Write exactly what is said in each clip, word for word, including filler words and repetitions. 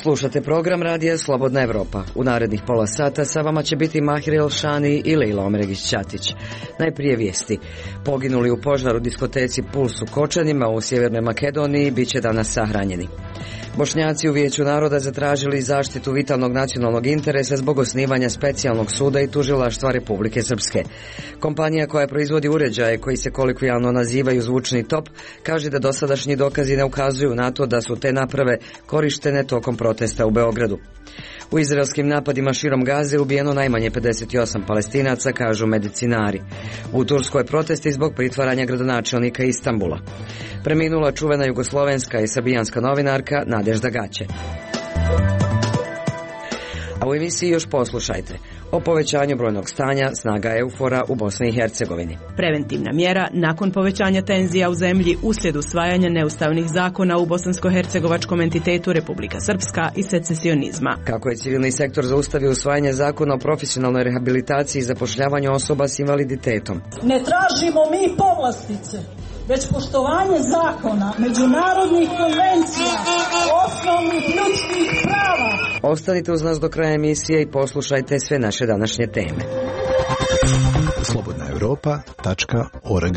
Slušate program radija Slobodna Evropa. U narednih pola sata sa vama će biti Mahir Elšani i Lejla Omregić-Ćatić. Najprije vijesti. Poginuli u požaru diskoteci Puls u Kočanima u Sjevernoj Makedoniji bit će danas sahranjeni. Bošnjaci u Vijeću naroda zatražili zaštitu vitalnog nacionalnog interesa zbog osnivanja specijalnog suda i tužilaštva Republike Srpske. Kompanija koja proizvodi uređaje koji se kolokvijalno nazivaju zvučni top kaže da dosadašnji dokazi ne ukazuju na to da su te naprave korištene tokom protesta u Beogradu. U izraelskim napadima širom Gaze ubijeno najmanje pedeset osam Palestinaca, kažu medicinari. U Turskoj protesti zbog pritvaranja gradonačelnika Istanbula. Preminula čuvena jugoslovenska i srbijanska novinarka Nadežda Gaće. A u emisiji još poslušajte o povećanju brojnog stanja snaga Eufora u Bosni i Hercegovini. Preventivna mjera nakon povećanja tenzija u zemlji uslijed usvajanja neustavnih zakona u bosansko-hercegovačkom entitetu Republika Srpska i secesionizma. Kako je civilni sektor zaustavio usvajanje zakona o profesionalnoj rehabilitaciji i zapošljavanju osoba s invaliditetom. Ne tražimo mi povlastice, već poštovanje zakona, međunarodnih konvencija, osnovnih ljudskih prava. Ostanite uz nas do kraja emisije i poslušajte sve naše današnje teme. slobodna europa tačka org.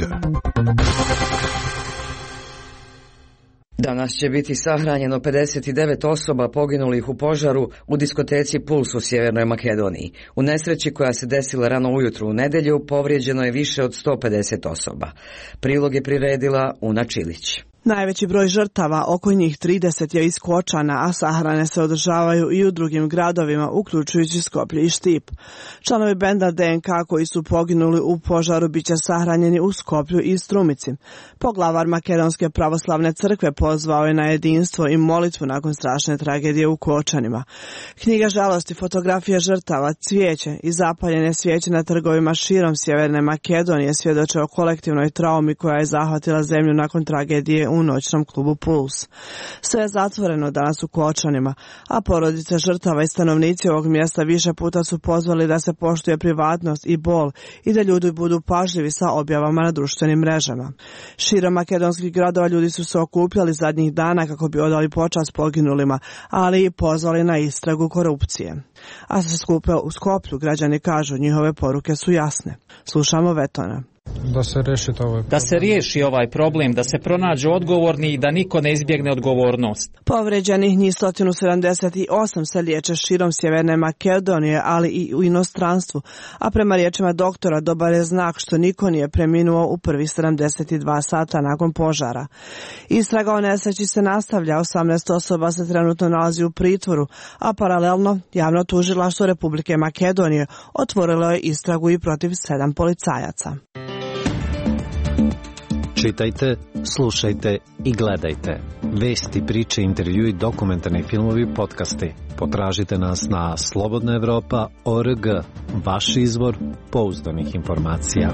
Danas će biti sahranjeno pedeset devet osoba poginulih u požaru u diskoteci Puls u Sjevernoj Makedoniji. U nesreći koja se desila rano ujutru u nedjelju povrijeđeno je više od sto pedeset osoba. Prilog je priredila Una Čilić. Najveći broj žrtava, oko njih trideset, je iz Kočana, a sahrane se održavaju i u drugim gradovima, uključujući Skoplje i Štip. Članovi benda D N K koji su poginuli u požaru biće sahranjeni u Skoplju i Strumici. Poglavar Makedonske pravoslavne crkve pozvao je na jedinstvo i molitvu nakon strašne tragedije u Kočanima. Knjiga žalosti, fotografije žrtava, cvijeće i zapaljene svijeće na trgovima širom Sjeverne Makedonije svjedoče o kolektivnoj traumi koja je zahvatila zemlju nakon tragedije u noćnom klubu Puls. Sve je zatvoreno danas u Kočanima, a porodice žrtava i stanovnici ovog mjesta više puta su pozvali da se poštuje privatnost i bol i da ljudi budu pažljivi sa objavama na društvenim mrežama. Širom makedonskih gradova ljudi su se okupljali zadnjih dana kako bi odali počast poginulima, ali i pozvali na istragu korupcije. A se skupe u Skoplju, građani kažu, njihove poruke su jasne. Slušamo Vetona. Da se riješi ovaj da se riješi ovaj problem, da se pronađu odgovorni i da niko ne izbjegne odgovornost. Povređenih njih sto sedamdeset osam se liječe širom Sjeverne Makedonije, ali i u inostranstvu, a prema riječima doktora dobar je znak što niko nije preminuo u prvih sedamdeset dva sata nakon požara. Istraga o nesreći se nastavlja, osamnaest osoba se trenutno nalazi u pritvoru, a paralelno javno tužilaštvo Republike Makedonije otvorilo je istragu i protiv sedam policajaca. Čitajte, slušajte i gledajte. Vesti, priče, intervjui, dokumentarni filmovi, podcasti. Potražite nas na slobodna evropa tačka org, vaš izvor pouzdanih informacija.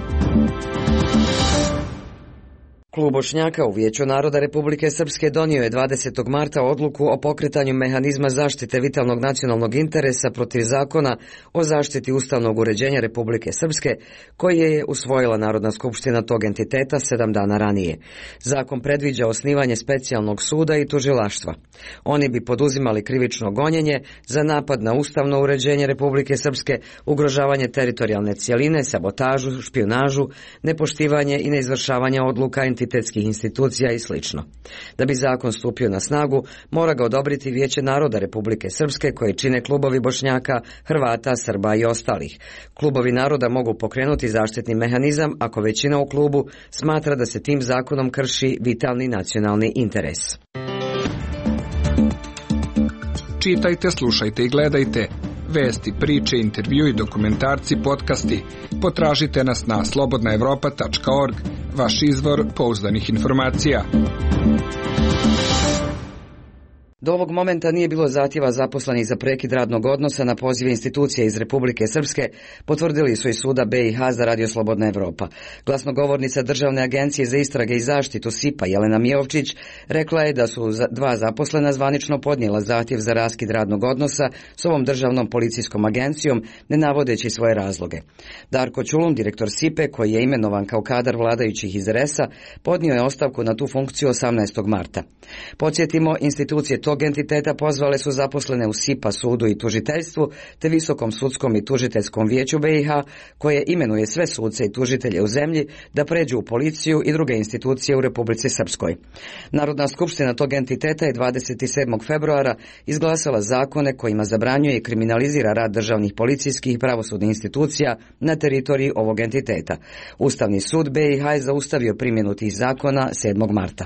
Klub Bošnjaka u Vijeću naroda Republike Srpske donio je dvadesetog marta odluku o pokretanju mehanizma zaštite vitalnog nacionalnog interesa protiv zakona o zaštiti ustavnog uređenja Republike Srpske, koji je usvojila Narodna skupština tog entiteta sedam dana ranije. Zakon predviđa osnivanje specijalnog suda i tužilaštva. Oni bi poduzimali krivično gonjenje za napad na ustavno uređenje Republike Srpske, ugrožavanje teritorijalne cjeline, sabotažu, špijunažu, nepoštivanje i neizvršavanje odluka entitetskih institucija i slično. Da bi zakon stupio na snagu, mora ga odobriti Vijeće naroda Republike Srpske koje čine klubovi Bošnjaka, Hrvata, Srba i ostalih. Klubovi naroda mogu pokrenuti zaštitni mehanizam ako većina u klubu smatra da se tim zakonom krši vitalni nacionalni interes. Čitajte, slušajte i gledajte. Vesti, priče, intervjui, dokumentarci, podcasti. Potražite nas na slobodna evropa tačka org, vaš izvor pouzdanih informacija. Do ovog momenta nije bilo zahtjeva zaposlenih za prekid radnog odnosa na pozive institucije iz Republike Srpske, potvrdili su iz suda B i H za Radio Slobodna Evropa. Glasnogovornica Državne agencije za istrage i zaštitu S I P-a Jelena Mijovčić rekla je da su dva zaposlena zvanično podnijela zahtjev za raskid radnog odnosa s ovom državnom policijskom agencijom, ne navodeći svoje razloge. Darko Čulun, direktor S I P-e, koji je imenovan kao kadar vladajućih iz R S-a, podnio je ostavku na tu funkciju osamnaestog marta. Podsjetimo, institucije tog tog entiteta pozvale su zaposlene u S I P A sudu i tužiteljstvu te Visokom sudskom i tužiteljskom vijeću B i H koje imenuje sve suce i tužitelje u zemlji da pređu u policiju i druge institucije u Republici Srpskoj. Narodna skupština tog entiteta je dvadeset sedmog februara izglasala zakone kojima zabranjuje i kriminalizira rad državnih policijskih i pravosudnih institucija na teritoriji ovog entiteta. Ustavni sud B i H je zaustavio primjenu tih zakona sedmog marta.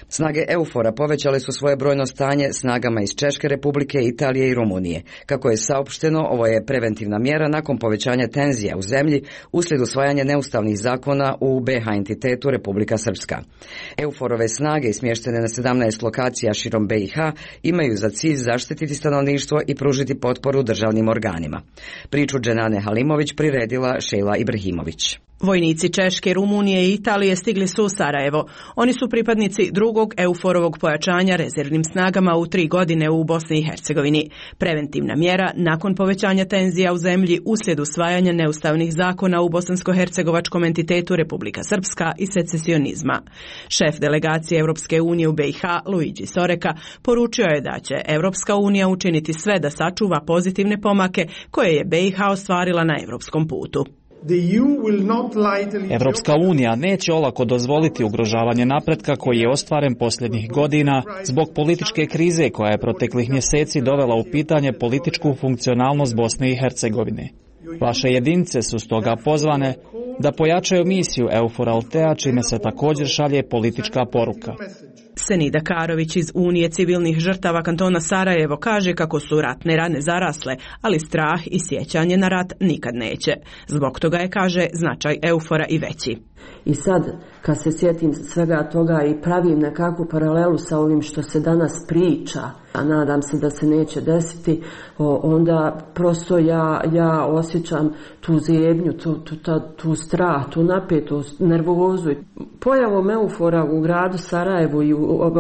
Snage EUFOR-a povećale su svoje brojno stanje snagama iz Češke republike, Italije i Rumunije. Kako je saopšteno, ovo je preventivna mjera nakon povećanja tenzija u zemlji uslijed usvajanja neustavnih zakona u B H entitetu Republika Srpska. EUFOR-ove snage smještene na sedamnaest lokacija širom B i H imaju za cilj zaštititi stanovništvo i pružiti potporu državnim organima. Priču Dženane Halimović priredila Šejla Ibrahimović. Vojnici Češke, Rumunije i Italije stigli su u Sarajevo. Oni su pripadnici drugog EUFOR-ovog pojačanja rezervnim snagama u tri godine u Bosni i Hercegovini. Preventivna mjera nakon povećanja tenzija u zemlji uslijed usvajanja neustavnih zakona u bosansko-hercegovačkom entitetu Republika Srpska i secesionizma. Šef delegacije Europske unije u B i H, Luigi Soreka, poručio je da će Europska unija učiniti sve da sačuva pozitivne pomake koje je B i H ostvarila na europskom putu. Evropska unija neće olako dozvoliti ugrožavanje napretka koji je ostvaren posljednjih godina zbog političke krize koja je proteklih mjeseci dovela u pitanje političku funkcionalnost Bosne i Hercegovine. Vaše jedinice su stoga pozvane da pojačaju misiju EUFOR-a, čime se također šalje politička poruka. Senida Karović iz Unije civilnih žrtava kantona Sarajevo kaže kako su ratne rane zarasle, ali strah i sjećanje na rat nikad neće. Zbog toga je, kaže, značaj EUFOR-a i veći. I sad, kad se sjetim svega toga i pravim nekakvu paralelu sa ovim što se danas priča, a nadam se da se neće desiti, onda prosto ja, ja osjećam tu zebnju, tu, tu, tu, tu strah, tu napetost, nervozu. Pojavom EUFOR-a u gradu Sarajevu i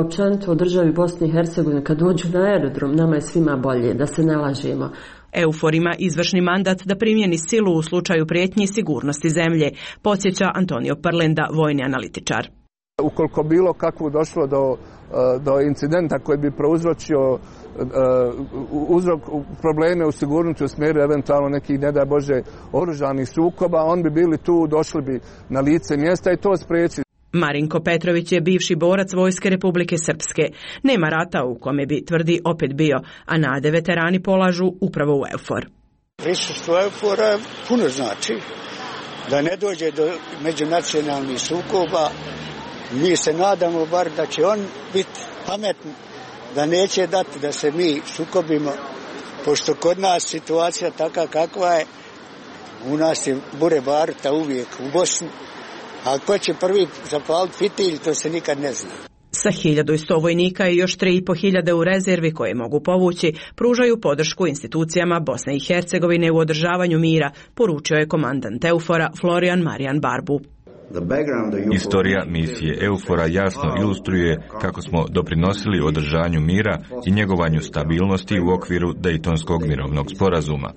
općenito u državi Bosne i Hercegovine, kad dođu na aerodrom, nama je svima bolje, da se ne lažemo. EUFOR ima izvršni mandat da primjeni silu u slučaju prijetnji sigurnosti zemlje, podsjeća Antonio Parlenda, vojni analitičar. Ukoliko bilo kakvo došlo do, do incidenta koji bi prouzročio uzrok probleme u sigurnosti u smjeru eventualno nekih, ne daj Bože, oružanih sukoba, on bi bili tu, došli bi na lice mjesta i to spriječili. Marinko Petrović je bivši borac Vojske Republike Srpske. Nema rata u kome bi, tvrdi, opet bio, a nade veterani polažu upravo u EUFOR. Prisustvo EUFOR-a puno znači da ne dođe do međunacionalnih sukoba. Mi se nadamo bar da će on biti pametni, da neće dati da se mi sukobimo, pošto kod nas situacija taka kakva je, u nas je bure baruta uvijek u Bosni. A ko će prvi zapaliti fitilj, to se nikad ne zna. Sa hiljadu i sto vojnika i još tri i po hiljade u rezervi koje mogu povući, pružaju podršku institucijama Bosne i Hercegovine u održavanju mira, poručio je komandant EUFOR-a Florian Marijan Barbu. Istorija misije EUFOR-a jasno ilustruje kako smo doprinosili održanju mira i njegovanju stabilnosti u okviru Dejtonskog mirovnog sporazuma.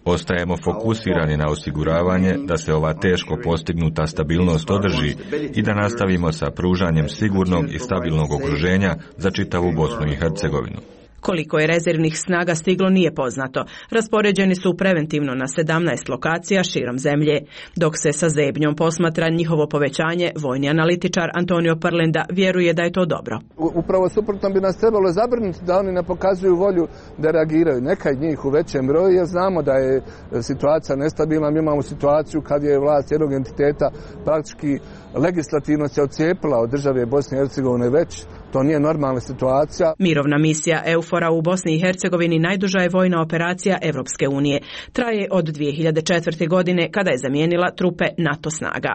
Ostajemo fokusirani na osiguravanje da se ova teško postignuta stabilnost održi i da nastavimo sa pružanjem sigurnog i stabilnog okruženja za čitavu Bosnu i Hercegovinu. Koliko je rezervnih snaga stiglo nije poznato. Raspoređeni su preventivno na sedamnaest lokacija širom zemlje. Dok se sa zebnjom posmatra njihovo povećanje, vojni analitičar Antonio Parlenda vjeruje da je to dobro. Upravo suprotno bi nas trebalo zabrinuti da oni ne pokazuju volju da reagiraju. Neka od njih u većem broju, jer znamo da je situacija nestabilna. Mi imamo situaciju kad je vlast jednog entiteta praktički legislativno se odcijepila od države Bosne i Hercegovine već. To nije normalna situacija. Mirovna misija EUFOR-a u Bosni i Hercegovini najduža je vojna operacija Evropske unije. Traje od dvije hiljade četvrte. godine kada je zamijenila trupe NATO snaga.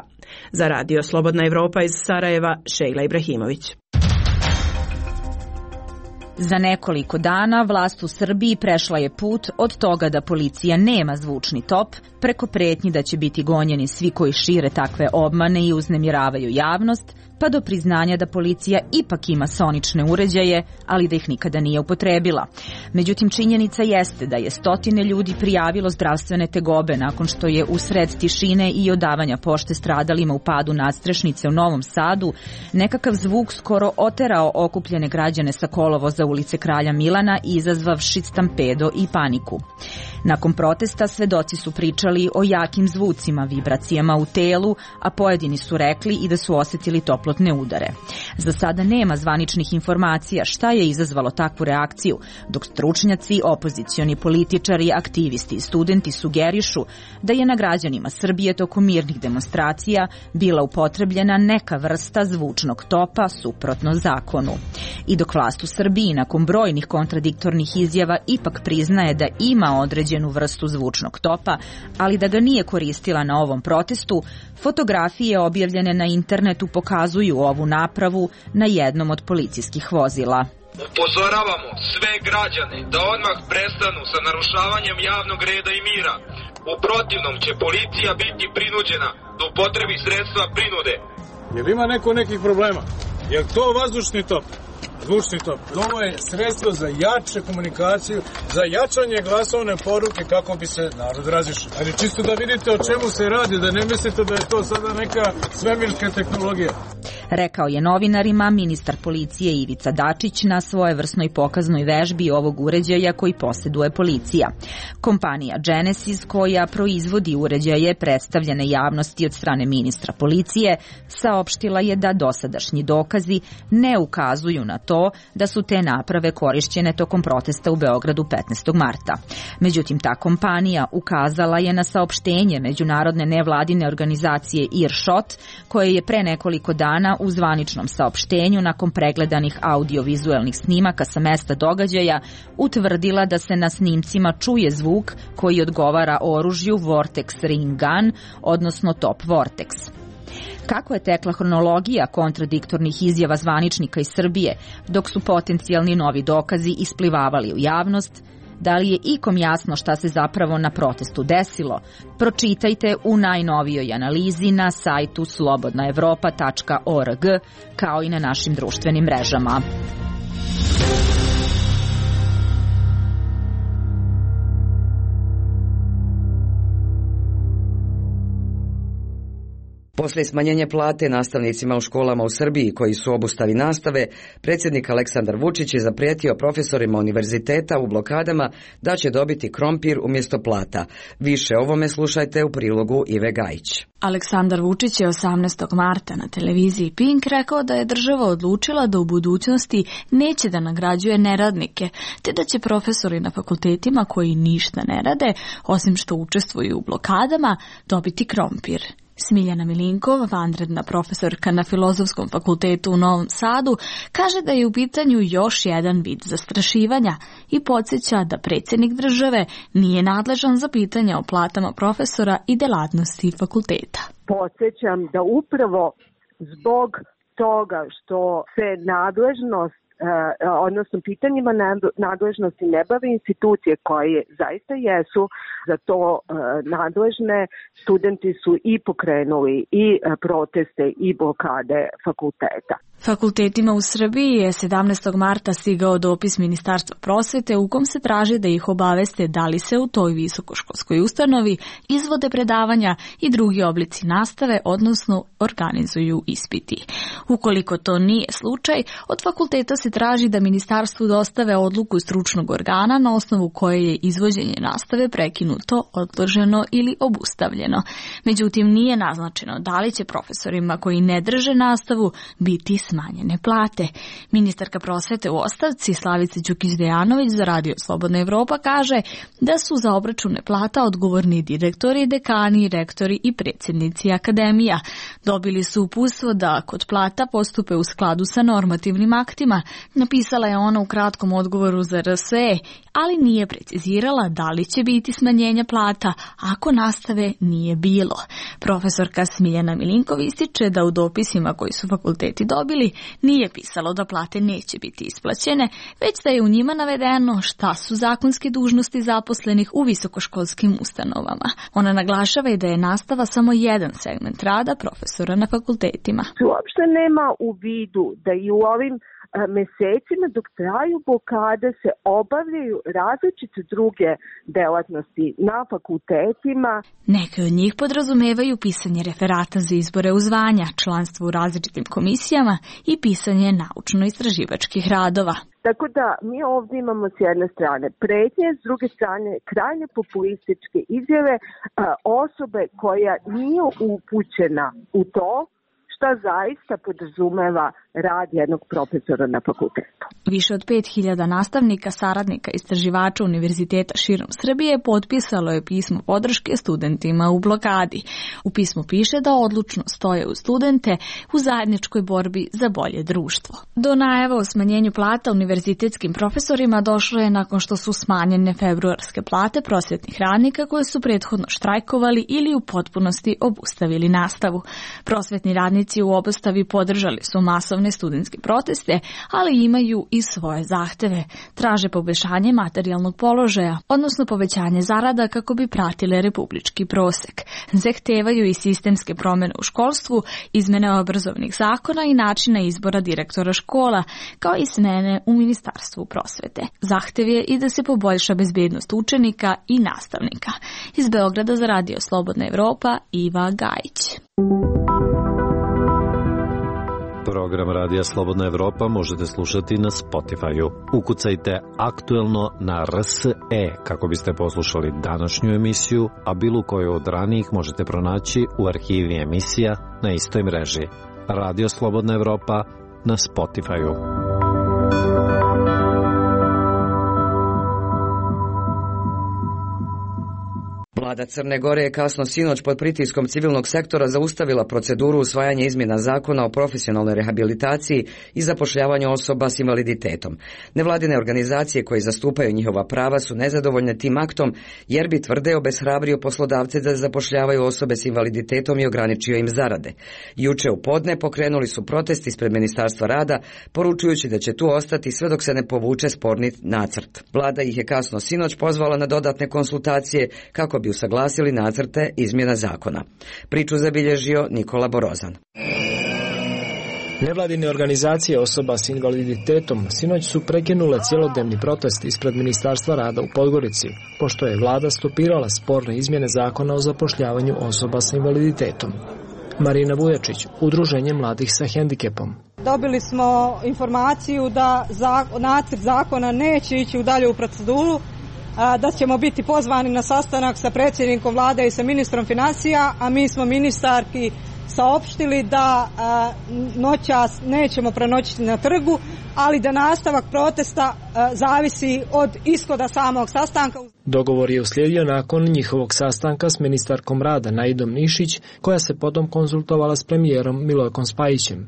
Za radio Slobodna Evropa iz Sarajeva, Šejla Ibrahimović. Za nekoliko dana vlast u Srbiji prešla je put od toga da policija nema zvučni top, preko pretnji da će biti gonjeni svi koji šire takve obmane i uznemiravaju javnost, pa do priznanja da policija ipak ima sonične uređaje, ali da ih nikada nije upotrebila. Međutim, činjenica jeste da je stotine ljudi prijavilo zdravstvene tegobe nakon što je usred tišine i odavanja pošte stradalima u padu nadstrešnice u Novom Sadu nekakav zvuk skoro oterao okupljene građane sa kolovoza ulice Kralja Milana, izazvavši stampedo i paniku. Nakon protesta svedoci su pričali o jakim zvucima, vibracijama u telu, a pojedini su rekli i da su osjetili toplotne udare. Za sada nema zvaničnih informacija šta je izazvalo takvu reakciju, dok stručnjaci, opozicioni političari, aktivisti i studenti sugerišu da je na građanima Srbije tokom mirnih demonstracija bila upotrebljena neka vrsta zvučnog topa suprotno zakonu. I dok vlast u Srbiji nakon brojnih kontradiktornih izjava ipak priznaje da ima određenu vrstu zvučnog topa, ali da ga nije koristila na ovom protestu, fotografije objavljene na internetu pokazuju ovu napravu na jednom od policijskih vozila. Upozoravamo sve građane da odmah prestanu sa narušavanjem javnog reda i mira. U protivnom će policija biti prinuđena da upotrebi sredstva prinude. Jel ima neko nekih problema? Jel to vazdušni top? Zvučni top. Ovo je sredstvo za jače komunikaciju, za jačanje glasovne poruke kako bi se narod razišao. Ali čisto da vidite o čemu se radi, da ne mislite da je to sada neka svemirska tehnologija. Rekao je novinarima ministar policije Ivica Dačić na svojevrsnoj pokaznoj vežbi ovog uređaja koji posjeduje policija. Kompanija Genesis, koja proizvodi uređaje predstavljene javnosti od strane ministra policije, saopštila je da dosadašnji dokazi ne ukazuju na to da su te naprave korišćene tokom protesta u Beogradu petnaestog marta. Međutim, ta kompanija ukazala je na saopštenje međunarodne nevladine organizacije Earshot, koje je pre nekoliko dana u zvaničnom saopštenju nakon pregledanih audiovizuelnih snimaka sa mesta događaja utvrdila da se na snimcima čuje zvuk koji odgovara oružju Vortex Ring Gun, odnosno Top Vortex. Kako je tekla hronologija kontradiktornih izjava zvaničnika iz Srbije, dok su potencijalni novi dokazi isplivavali u javnost? Da li je ikom jasno šta se zapravo na protestu desilo? Pročitajte u najnovijoj analizi na sajtu slobodna evropa tačka org, kao i na našim društvenim mrežama. Poslije smanjenja plate nastavnicima u školama u Srbiji koji su u obustavi nastave, predsjednik Aleksandar Vučić je zaprijetio profesorima univerziteta u blokadama da će dobiti krompir umjesto plata. Više o ovome slušajte u prilogu Ive Gajić. Aleksandar Vučić je osamnaestog marta na televiziji Pink rekao da je država odlučila da u budućnosti neće da nagrađuje neradnike, te da će profesori na fakultetima koji ništa ne rade, osim što učestvuju u blokadama, dobiti krompir. Smiljana Milinkov, vanredna profesorka na Filozofskom fakultetu u Novom Sadu, kaže da je u pitanju još jedan vid zastrašivanja i podsjeća da predsjednik države nije nadležan za pitanja o platama profesora i delatnosti fakulteta. Podsjećam da upravo zbog toga što se nadležnost odnosno pitanjima nadležnosti ne bave institucije koje zaista jesu za to nadležne, studenti su i pokrenuli i proteste i blokade fakulteta. Fakultetima u Srbiji je sedamnaestog marta stigao dopis Ministarstva prosvete u kom se traži da ih obaveste da li se u toj visokoškolskoj ustanovi izvode predavanja i drugi oblici nastave, odnosno organizuju ispiti. Ukoliko to nije slučaj, od fakulteta se traži da ministarstvu dostave odluku stručnog organa na osnovu koje je izvođenje nastave prekinuto, odloženo ili obustavljeno. Međutim, nije naznačeno da li će profesorima koji ne drže nastavu biti smanjene plate. Ministarka prosvete u ostavci Slavica Đukić-Dejanović za radio Slobodna Evropa kaže da su za obračune plata odgovorni direktori, dekani, rektori i predsjednici akademija. Dobili su uputstvo da kod plata postupe u skladu sa normativnim aktima, napisala je ona u kratkom odgovoru za R S E, ali nije precizirala da li će biti smanjenja plata ako nastave nije bilo. Profesorka Smiljana Milinkov ističe da u dopisima koji su fakulteti dobili nije pisalo da plate neće biti isplaćene, već da je u njima navedeno šta su zakonske dužnosti zaposlenih u visokoškolskim ustanovama. Ona naglašava i da je nastava samo jedan segment rada profesora na fakultetima. Uopšte nema u vidu da i u ovim mesecima dok traju blokade se obavljaju različite druge delatnosti na fakultetima. Neke od njih podrazumevaju pisanje referata za izbore u zvanja, članstvo u različitim komisijama i pisanje naučno-istraživačkih radova. Tako da mi ovdje imamo s jedne strane pretnje, s druge strane krajnje populističke izjave osobe koja nije upućena u to šta zaista podrazumeva rad jednog profesora na fakultetu. Više od pet hiljada nastavnika, saradnika, istraživača univerziteta širom Srbije potpisalo je pismo podrške studentima u blokadi. U pismu piše da odlučno stoje uz studente u zajedničkoj borbi za bolje društvo. Do najava o smanjenju plata univerzitetskim profesorima došlo je nakon što su smanjene februarske plate prosvetnih radnika koje su prethodno štrajkovali ili u potpunosti obustavili nastavu. Prosvetni radnici u obustavi podržali su masovne studentske proteste, ali imaju i svoje zahteve. Traže poboljšanje materijalnog položaja, odnosno povećanje zarada kako bi pratile republički prosek. Zahtevaju i sistemske promjene u školstvu, izmene obrazovnih zakona i načina izbora direktora škola, kao i smene u Ministarstvu prosvete. Zahtev je i da se poboljša bezbednost učenika i nastavnika. Iz Beograda za Radio Slobodna Evropa, Iva Gajić. Program Radija Slobodna Evropa možete slušati na Spotify-u. Ukucajte aktuelno na R S E kako biste poslušali današnju emisiju, a bilo koju od ranijih možete pronaći u arhivi emisija na istoj mreži. Radio Slobodna Evropa na Spotify-u. Vlada Crne Gore je kasno sinoć pod pritiskom civilnog sektora zaustavila proceduru usvajanja izmjena zakona o profesionalnoj rehabilitaciji i zapošljavanju osoba s invaliditetom. Nevladine organizacije koje zastupaju njihova prava su nezadovoljne tim aktom jer bi, tvrde, obeshrabrio poslodavce da zapošljavaju osobe s invaliditetom i ograničio im zarade. Juče u podne pokrenuli su protest ispred Ministarstva rada, poručujući da će tu ostati sve dok se ne povuče sporni nacrt. Vlada ih je kasno sinoć pozvala na dodatne konsultacije kako bi usaglasili nacrte izmjena zakona. Priču zabilježio Nikola Borozan. Nevladine organizacije osoba s invaliditetom sinoć su prekinule cjelodnevni protest ispred Ministarstva rada u Podgorici, pošto je vlada stopirala sporne izmjene zakona o zapošljavanju osoba s invaliditetom. Marina Vujačić, Udruženje mladih sa hendikepom. Dobili smo informaciju da nacrt zakona neće ići u dalju proceduru, da ćemo biti pozvani na sastanak sa predsjednikom vlade i sa ministrom financija, a mi smo ministarki saopštili da noćas nećemo prenoćiti na trgu, ali da nastavak protesta zavisi od ishoda samog sastanka. Dogovor je uslijedio nakon njihovog sastanka s ministarkom rada Naidom Nišić, koja se potom konzultovala s premijerom Milojkom Spajićem.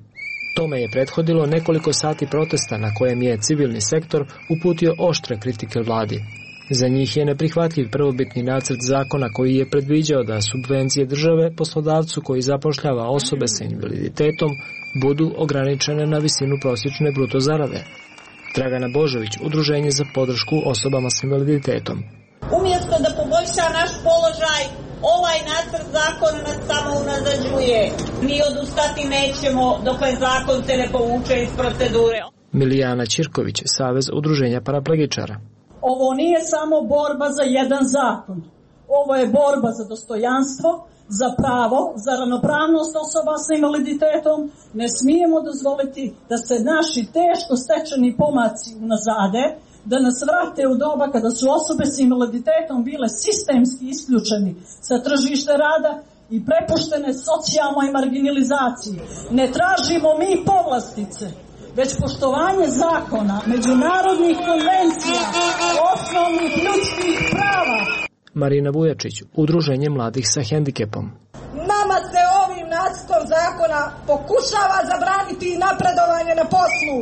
Tome je prethodilo nekoliko sati protesta na kojem je civilni sektor uputio oštre kritike vladi. Za njih je neprihvatljiv prvobitni nacrt zakona koji je predviđao da subvencije države poslodavcu koji zapošljava osobe sa invaliditetom budu ograničene na visinu prosječne bruto zarade. Dragana Božović, Udruženje za podršku osobama s invaliditetom. Umjesto da poboljša naš položaj, ovaj nacrt zakona nas samo unazađuje. Mi odustati nećemo dokle zakon se ne povuče iz procedure. Milijana Ćirković, Savez udruženja paraplegičara. Ovo nije samo borba za jedan zakon. Ovo je borba za dostojanstvo, za pravo, za ravnopravnost osoba sa invaliditetom. Ne smijemo dozvoliti da se naši teško stečeni pomaci unazade, da nas vrate u doba kada su osobe s invaliditetom bile sistemski isključeni sa tržišta rada i prepuštene socijalnoj marginalizaciji. Ne tražimo mi povlastice, već poštovanje zakona, međunarodnih konvencija, osnovnih ljudskih prava. Marina Vujačić, Udruženje mladih sa hendikepom. Nama se ovim nacrtom zakona pokušava zabraniti napredovanje na poslu.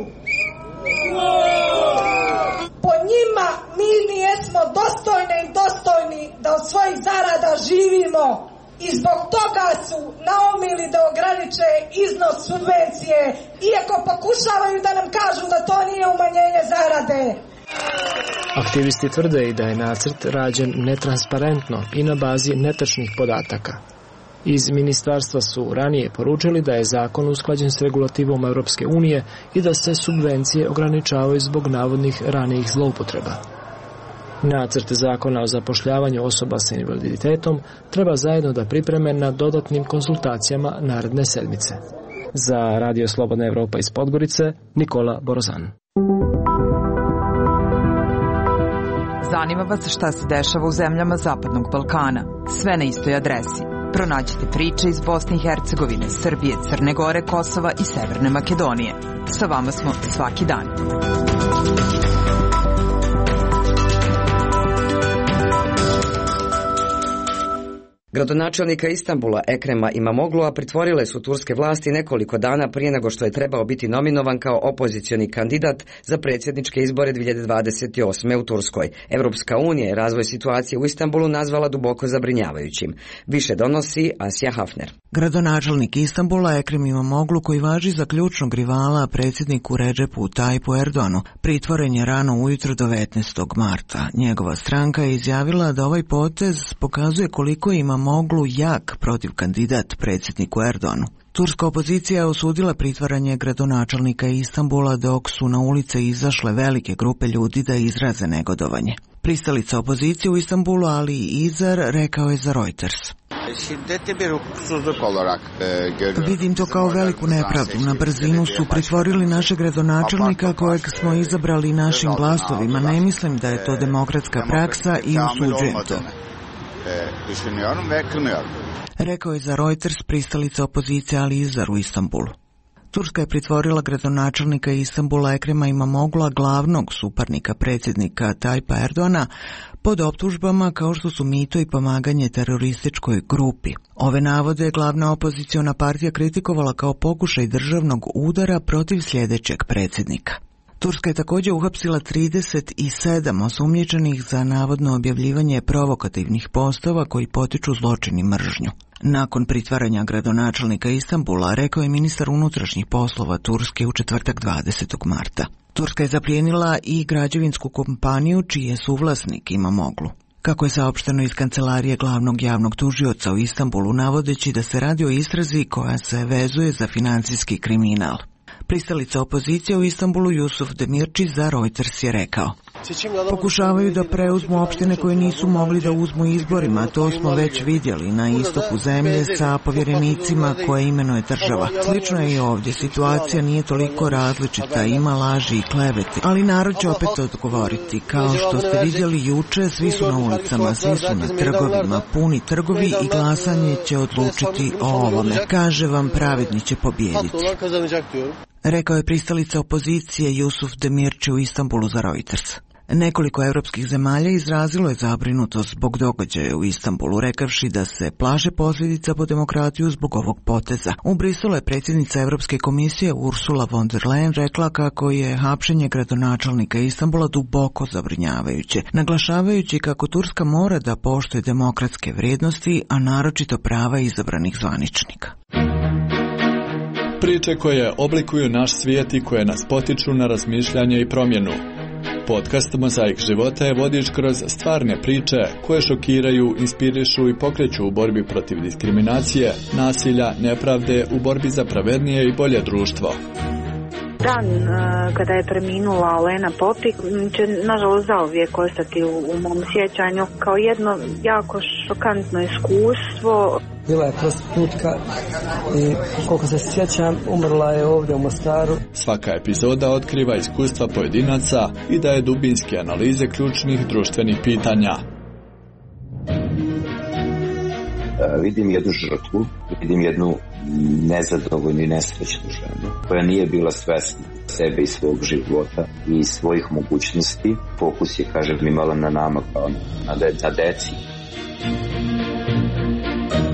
Po njima mi nijesmo dostojni i dostojni da od svojih zarada živimo i zbog toga su naumili da ograniče iznos subvencije, iako pokušavaju da nam kažu da to nije umanjenje zarade. Aktivisti tvrde i da je nacrt rađen netransparentno i na bazi netačnih podataka. Iz ministarstva su ranije poručili da je zakon usklađen s regulativom Europske unije i da se subvencije ograničavaju zbog navodnih ranijih zloupotreba. Nacrt zakona o zapošljavanju osoba sa invaliditetom treba zajedno da pripreme na dodatnim konsultacijama naredne sedmice. Za Radio Slobodna Evropa iz Podgorice, Nikola Borozan. Zanima vas šta se dešava u zemljama Zapadnog Balkana. Sve na istoj adresi. Pronađite priče iz Bosne i Hercegovine, Srbije, Crne Gore, Kosova i Severne Makedonije. Sa vama smo svaki dan. Gradonačelnika Istanbula Ekrema Imamoglu'a pritvorile su turske vlasti nekoliko dana prije nego što je trebao biti nominovan kao opozicioni kandidat za predsjedničke izbore dvije hiljade dvadeset osme. u Turskoj. Europska unija je razvoj situacije u Istanbulu nazvala duboko zabrinjavajućim. Više donosi Asja Hafner. Gradonačelnik Istanbula Ekrem Imamoglu, koji važi za ključnog rivala predsjedniku Redžepu Tajipu Erdoganu, pritvoren je rano ujutro devetnaestog marta. Njegova stranka je izjavila da ovaj potez pokazuje koliko ima Imamoglu jak protiv kandidat predsjedniku Erdoganu. Turska opozicija je osudila pritvaranje gradonačelnika Istanbula dok su na ulice izašle velike grupe ljudi da izraze negodovanje. Pristalica opozicije u Istanbulu Ali Izar rekao je za Reuters: Vidim to kao veliku nepravdu. Na brzinu su pritvorili našeg gradonačelnika kojeg smo izabrali našim glasovima. Ne mislim da je to demokratska praksa i osuđujem to. Rekao je za Reuters pristalica opozicije Ali Izar u Istanbulu. Turska je pritvorila gradonačelnika Istanbula Ekrema Imamoglu'a, glavnog suparnika predsjednika Tajipa Erdogana, pod optužbama kao što su mito i pomaganje terorističkoj grupi. Ove navode je glavna opoziciona partija kritikovala kao pokušaj državnog udara protiv sljedećeg predsjednika. Turska je također uhapsila trideset sedam osumnjičenih za navodno objavljivanje provokativnih postova koji potiču zločin i mržnju. Nakon pritvaranja gradonačelnika Istanbula, rekao je ministar unutrašnjih poslova Turske u četvrtak dvadesetog marta. Turska je zaplijenila i građevinsku kompaniju čiji je suvlasnik Imamoglu. Kako je saopšteno iz kancelarije glavnog javnog tužioca u Istanbulu, navodeći da se radi o istrazi koja se vezuje za financijski kriminal. Pristalica opozicije u Istanbulu Jusuf Demirci za Reuters je rekao: Pokušavaju da preuzmu opštine koje nisu mogli da uzmu izborima, to smo već vidjeli na istoku zemlje sa povjerenicima koje imenuje država. Slično je i ovdje, situacija nije toliko različita, ima laži i klevete, ali narod će opet odgovoriti. Kao što ste vidjeli juče, svi su na ulicama, svi su na trgovima, puni trgovi i glasanje će odlučiti o ovome. Kaže vam, pravedni će pobijediti. Rekao je pristalica opozicije Jusuf Demirci u Istanbulu za Reuters. Nekoliko europskih zemalja izrazilo je zabrinutost zbog događaja u Istanbulu, rekavši da se plaše posljedica po demokratiju zbog ovog poteza. U Briselu je predsjednica Europske komisije Ursula von der Leyen rekla kako je hapšenje gradonačelnika Istanbula duboko zabrinjavajuće, naglašavajući kako Turska mora da poštuje demokratske vrijednosti, a naročito prava izabranih zvaničnika. Priče koje oblikuju naš svijet i koje nas potiču na razmišljanje i promjenu. Podcast Mozaik života je vodič kroz stvarne priče koje šokiraju, inspirišu i pokreću u borbi protiv diskriminacije, nasilja, nepravde, u borbi za pravednije i bolje društvo. Dan kada je preminula Olena Popik će nažalost zauvijek ostati u, u mom sjećanju kao jedno jako šokantno iskustvo. Bila je prostitutka i koliko se sjećam umrla je ovdje u Mostaru. Svaka epizoda otkriva iskustva pojedinaca i daje dubinske analize ključnih društvenih pitanja. Vidim jednu žrtvu, vidim jednu nezadovoljnu i nesrećnu ženu koja nije bila svesna sebe i svog života i svojih mogućnosti. Fokus je, kažem, imala na nama kao na, de- na deci.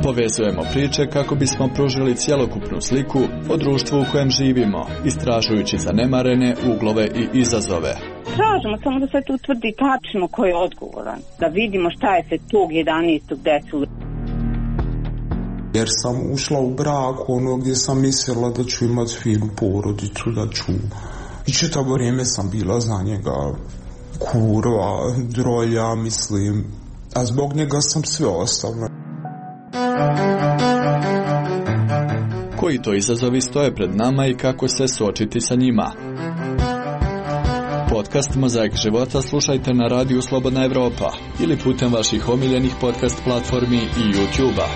Povezujemo priče kako bismo pružili cjelokupnu sliku o društvu u kojem živimo, istražujući zanemarene uglove i izazove. Tražimo samo da se tu utvrdi tačno ko je odgovoran, da vidimo šta je se tog jedanaestog desilo. Jer sam ušla u brak ono gdje sam mislila da ću imati finu porodicu, da ću... I čitavo vrijeme sam bila za njega kurva, drolja, mislim, a zbog njega sam sve ostavila. Koji to izazovi stoje pred nama i kako se suočiti sa njima? Podcast Mozaik života slušajte na radiju Slobodna Evropa ili putem vaših omiljenih podcast platformi i YouTube-a.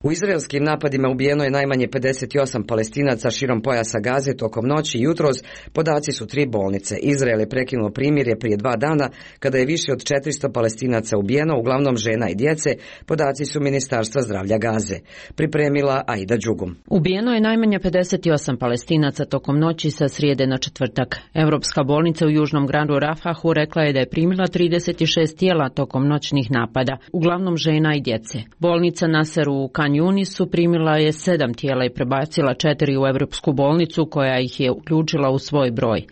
U izraelskim napadima ubijeno je najmanje pedeset osam Palestinaca širom pojasa Gaze tokom noći i jutros. Podaci su tri bolnice. Izrael je prekinuo primirje prije dva dana kada je više od četiristo Palestinaca ubijeno, uglavnom žena i djece. Podaci su Ministarstva zdravlja Gaze. Pripremila Aida Đugum. Ubijeno je najmanje pedeset osam Palestinaca tokom noći sa srijede na četvrtak. Europska bolnica u južnom gradu Rafahu rekla je da je primila trideset šest tijela tokom noćnih napada, uglavnom žena i djece. Bolnica Nasser u Kan Junisu primila je sedam tijela i prebacila četiri u Europsku bolnicu koja ih je uključila u svoj broj.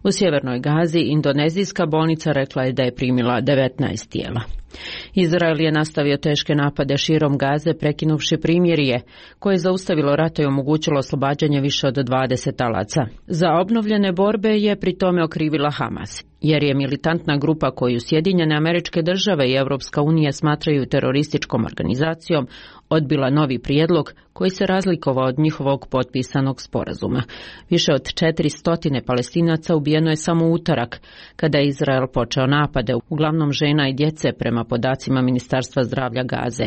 U sjevernoj Gazi indonezijska bolnica rekla je da je primila devetnaest tijela. Izrael je nastavio teške napade širom Gaze prekinuvši primirje koje je zaustavilo rata i omogućilo oslobađanje više od dvadeset talaca. Za obnovljene borbe je pri tome okrivila Hamas, jer je militantna grupa koju Sjedinjene Američke Države i Europska unija smatraju terorističkom organizacijom odbila novi prijedlog koji se razlikovao od njihovog potpisanog sporazuma. Više od četiristo Palestinaca ubijeno je samo u utorak, kada je Izrael počeo napade, uglavnom žena i djece prema podacima Ministarstva zdravlja Gaze.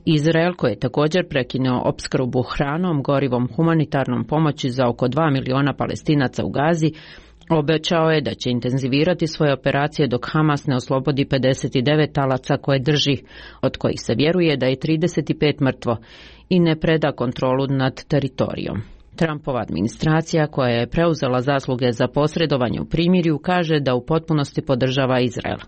Izrael, koji je također prekinuo opskrbu hranom, gorivom, humanitarnom pomoći za oko dva miliona Palestinaca u Gazi, obećao je da će intenzivirati svoje operacije dok Hamas ne oslobodi pedeset devet talaca koje drži, od kojih se vjeruje da je trideset pet mrtvo, i ne preda kontrolu nad teritorijom. Trumpova administracija, koja je preuzela zasluge za posredovanje u primirju, kaže da u potpunosti podržava Izrael.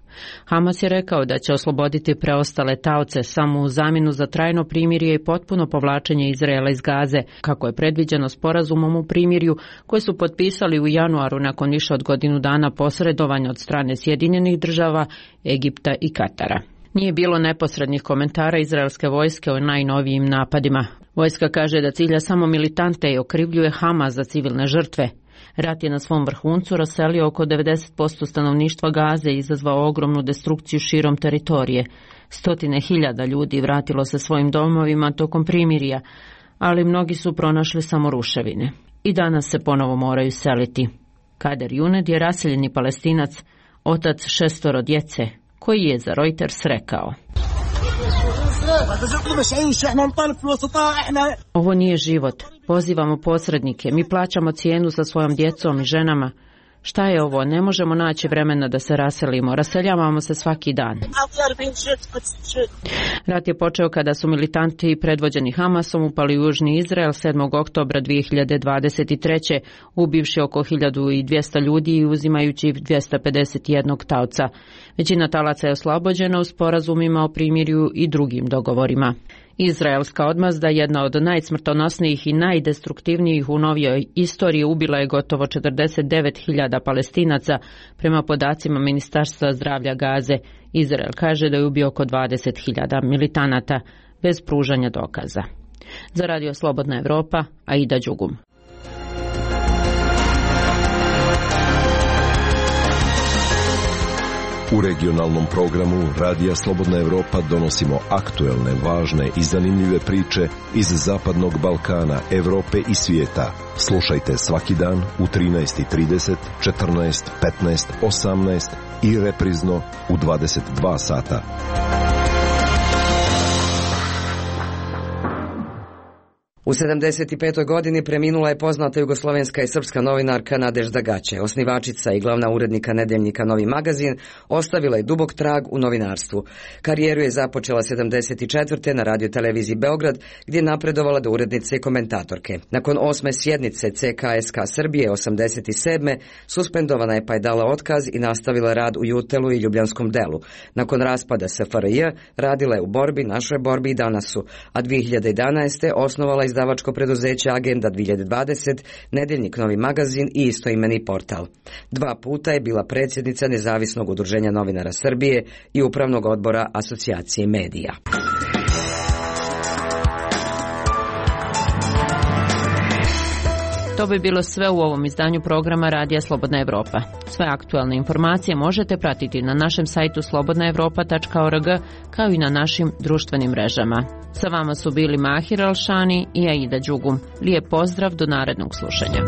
Hamas je rekao da će osloboditi preostale taoce samo u zamjenu za trajno primirje i potpuno povlačenje Izraela iz Gaze, kako je predviđeno sporazumom u primirju koji su potpisali u januaru nakon više od godinu dana posredovanja od strane Sjedinjenih Država, Egipta i Katara. Nije bilo neposrednih komentara izraelske vojske o najnovijim napadima. Vojska kaže da cilja samo militante i okrivljuje Hamas za civilne žrtve. Rat je na svom vrhuncu raselio oko devedeset posto stanovništva Gaze i izazvao ogromnu destrukciju širom teritorije. Stotine hiljada ljudi vratilo se svojim domovima tokom primirja, ali mnogi su pronašli samo ruševine. I danas se ponovo moraju seliti. Kader Juned je raseljeni Palestinac, otac šestoro djece, koji je za Reuters rekao: ovo nije život. Pozivamo posrednike. Mi plaćamo cijenu sa svojom djecom i ženama. Šta je ovo? Ne možemo naći vremena da se raselimo. Raseljavamo se svaki dan. Rat je počeo kada su militanti predvođeni Hamasom upali u južni Izrael sedmog oktobra dvije hiljade dvadeset treće ubivši oko hiljadu dvjesto ljudi i uzimajući dvjesto pedeset jedan taoca. Većina talaca je oslobođena u sporazumima o primirju i drugim dogovorima. Izraelska odmazda, jedna od najsmrtonosnijih i najdestruktivnijih u novijoj istoriji, ubila je gotovo četrdeset devet hiljada Palestinaca prema podacima Ministarstva zdravlja Gaze. Izrael kaže da je ubio oko dvadeset hiljada militanata bez pružanja dokaza. Za Radio Slobodna Evropa, Aida Đugum. U regionalnom programu Radija Slobodna Evropa donosimo aktuelne, važne i zanimljive priče iz Zapadnog Balkana, Evrope i svijeta. Slušajte svaki dan u trinaest i trideset, četrnaest, petnaest, osamnaest i reprizno u dvadeset dva sata. U sedamdeset petoj godini preminula je poznata jugoslovenska i srpska novinarka Nadežda Gaće, osnivačica i glavna urednika nedeljnika Novi magazin, ostavila je dubok trag u novinarstvu. Karijeru je započela sedamdeset četvrte na radio televiziji Beograd, gdje je napredovala do urednice i komentatorke. Nakon osme sjednice C K S K Srbije osamdeset sedme suspendovana je pa je dala otkaz i nastavila rad u Jutelu i Ljubljanskom delu. Nakon raspada S F R J radila je u Borbi, Našoj borbi i Danasu, a dvije hiljade jedanaeste osnovala izdavačko preduzeće Agenda dvije hiljade dvadeset, nedeljnik Novi magazin i istoimeni portal. Dva puta je bila predsjednica Nezavisnog udruženja novinara Srbije i Upravnog odbora Asocijacije medija. To bi bilo sve u ovom izdanju programa Radija Slobodna Evropa. Sve aktualne informacije možete pratiti na našem sajtu slobodna evropa tačka org kao i na našim društvenim mrežama. Sa vama su bili Mahir Alšani i Aida Đugum. Lijep pozdrav do narednog slušanja.